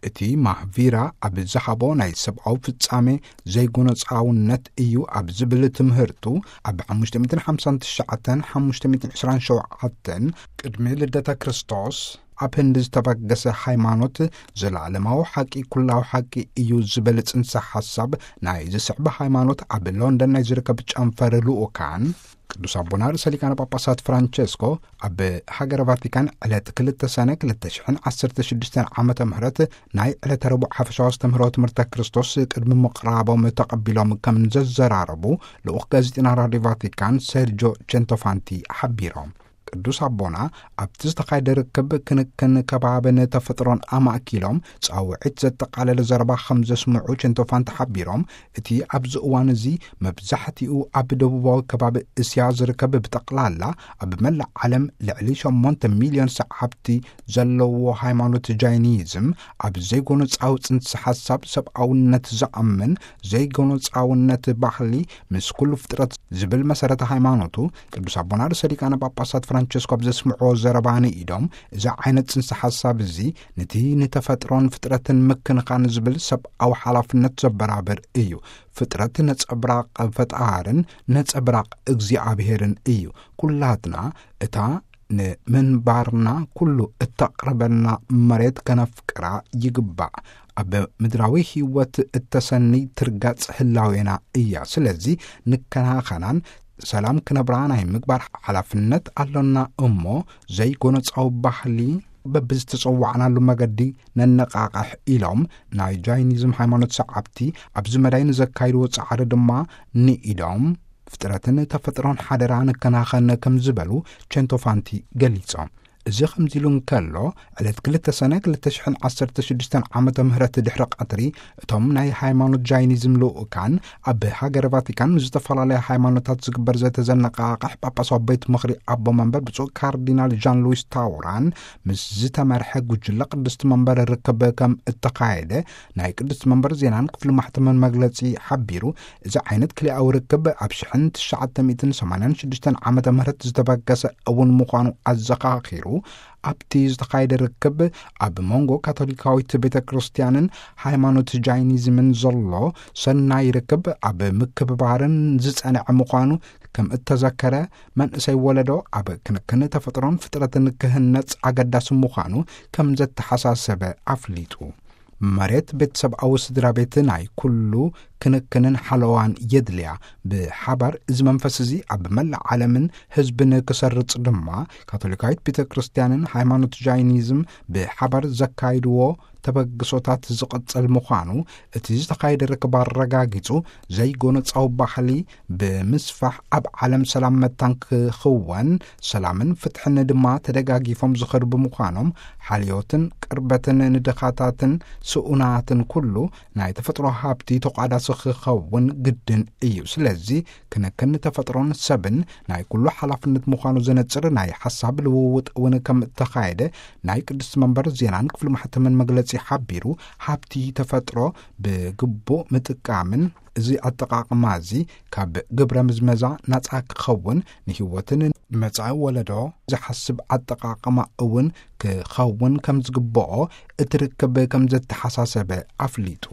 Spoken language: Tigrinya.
እቲ ማህቪራ ኣብ ዝሃቦ ናይ ሰብኣዊ ፍጻሜ ዘይጎነጻውነት እዩ ኣብ ዝብል ትምህርቱ፣ ኣብ ሓሙሽተ ሚእትን ሓምሳን ትሽዓተን ሓሙሽተ ሚእትን ዕስራን ሸውዓተን ቅድሚ ልደተ ክርስቶስ ኣብ ህንዲ ዝተበገሰ ሃይማኖት፣ ዘላለማዊ ሓቂ፣ ኩላዊ ሓቂ እዩ ዝብል ጽንሰ ሓሳብ ናይ ዝስዕብ ሃይማኖት ኣብ ሎንደን ናይ ዝርከብ ጨንፈር ልኡካን ቅዱስ ኣቦና ርእሰ ሊቃነ ጳጳሳት ፍራንቸስኮ ኣብ ሃገረ ቫቲካን ዕለት ክልተ ሰነ ክልተ ሽሕን ዓሰርተ ሽዱሽተን ዓመተ ምህረት ናይ ዕለተ ረቡዕ ሓፈሻዊ ኣስተምህሮ ትምህርተ ክርስቶስ ቅድሚ ምቕራቦም ተቐቢሎም ከም ዘዘራረቡ ልኡኽ ጋዜጠና ራድዮ ቫቲካን ሴርጆ ቸንቶፋንቲ ሓቢሮም። ቅዱስ ኣቦና ኣብቲ ዝተኻየደ ርክብ ክንክን ከባብን ተፈጥሮን ኣማእኪሎም ጻውዒት ዘጠቓለለ ዘረባ ከም ዘስምዑ ቸንቶፋንቲ ሓቢሮም፣ እቲ ኣብዚ እዋን እዚ መብዛሕትኡ ኣብ ደቡባዊ ከባቢ እስያ ዝርከብ ብጠቕላላ ኣብ መላእ ዓለም ልዕሊ ሸሞንተ ሚልዮን ሰዓብቲ ዘለዎ ሃይማኖት ጃይኒዝም ኣብ ዘይጎነጻዊ ጽንሲ ሓሳብ ሰብኣውነት ዝኣምን ዘይጎነጻውነት ባህሊ ምስ ኩሉ ፍጥረት ዝብል መሰረተ ሃይማኖቱ ቅዱስ ኣቦና ርእሰ ሊቃነ ጳጳሳት ፍራንቸስኮ ኣብ ዘስምዕዎ ዘረባ ንኢዶም፣ እዚ ዓይነት ጽንሲ ሓሳብ እዚ ነቲ ንተፈጥሮን ፍጥረትን ምክንኻን ዝብል ሰብኣዊ ሓላፍነት ዘበራብር እዩ። ፍጥረት ነጸብራቕ ፈጣርን ነጸብራቕ እግዚኣብሔርን እዩ። ኩላትና እታ ንምንባርና ኩሉ እተቕርበና መሬት ከነፍቅራ ይግባእ። ኣብ ምድራዊ ህይወት እተሰኒ ትርጋጽ ህላዌና እያ። ስለዚ ንከናኸናን ሰላም ክነብራ ናይ ምግባር ሓላፍነት ኣሎና እሞ፣ ዘይጎነጻዊ ባህሊ በብዝተጸዋዕናሉ መገዲ ነነቃቕሕ ኢሎም፣ ናይ ጃይኒዝም ሃይማኖት ሰዓብቲ ኣብዚ መዳይ ንዘካይድዎ ጻዕሪ ድማ ንኢዶም፣ ፍጥረትን ተፈጥሮን ሓደራ ንከናኸን ከም ዝበሉ ቸንቶፋንቲ ገሊጾም። እዚ ከምዚ ኢሉ እንከሎ፣ ዕለት ክልተ ሰነ ክልተ ሽሕን ዓሰርተ ሽዱሽተን ዓመተ ምህረት ድሕሪ ቀትሪ፣ እቶም ናይ ሃይማኖት ጃይኒዝም ልኡካን ኣብ ሃገረ ቫቲካን ምስ ዝተፈላለያ ሃይማኖታት ዝግበር ዘተ ዘነቃቕሕ ጳጳሳዊ ቤት ምኽሪ ኣቦ መንበር ብፁዕ ካርዲናል ዣን ሉዊስ ታውራን ምስ ዝተመርሐ ጉጅለ ቅድስቲ መንበር ርክብ ከም እተኻየደ ናይ ቅድስቲ መንበር ዜናን ክፍሊ ማሕተምን መግለጺ ሓቢሩ፣ እዚ ዓይነት ክልኣዊ ርክብ ኣብ ሽሕን ትሽዓተ ሚእትን ሰማንያን ሽዱሽተን ዓመተ ምህረት ዝተበገሰ እውን ምዃኑ ኣዘኻኺሩ፣ ኣብቲ ዝተኻየደ ርክብ ኣብ መንጎ ካቶሊካዊት ቤተ ክርስቲያንን ሃይማኖት ጃይኒዝምን ዘሎ ሰናይ ርክብ ኣብ ምክብባርን ዝጸንዐ ምዃኑ ከም እተዘከረ፣ መንእሰይ ወለዶ ኣብ ክንክን ተፈጥሮን ፍጥረትን ክህነጽ ኣገዳሲ ምዃኑ ከም ዘተሓሳሰበ ኣፍሊጡ። መሬት ቤተሰብኣዊ ስድራ ቤት ናይ ኩሉ ክንክንን ሓለዋን የድልያ። ብሓባር እዚ መንፈስ እዚ ኣብ መላእ ዓለምን ህዝብን ክሰርጽ ድማ፣ ካቶሊካዊት ቤተ ክርስቲያንን ሃይማኖት ጃይኒዝም ብሓባር ዘካይድዎ ተበግሶታት ዝቕጽል ምዃኑ እቲ ዝተኻየደ ርክብ ኣረጋጊጹ፣ ዘይጎነጻዊ ባህሊ ብምስፋሕ ኣብ ዓለም ሰላም መታን ክኽወን፣ ሰላምን ፍትሕን ድማ ተደጋጊፎም ዝኸዱ ብምዃኖም፣ ሓልዮትን ቅርበትን ንድኻታትን ስኡናትን ኩሉ ናይ ተፈጥሮ ሃብቲ ተቋዳሲ ክኸውን ግድን እዩ። ስለዚ፣ ክንክን ተፈጥሮን ሰብን ናይ ኩሉ ሓላፍነት ምዃኑ ዘነጽር ናይ ሓሳብ ልውውጥ እውን ከም እተኻየደ ናይ ቅድስቲ መንበር ዜናን ክፍሊ ማሕተምን መግለጺ ሓቢሩ፣ ሃብቲ ተፈጥሮ ብግቡእ ምጥቃምን እዚ ኣጠቓቕማ እዚ ካብ ግብረ ምዝመዛ ናጻ ክኸውን፣ ንህይወትን ንመጻኢ ወለዶ ዝሓስብ ኣጠቓቕማ እውን ክኸውን ከም ዝግብኦ እቲ ርክብ ከም ዘተሓሳሰበ ኣፍሊጡ።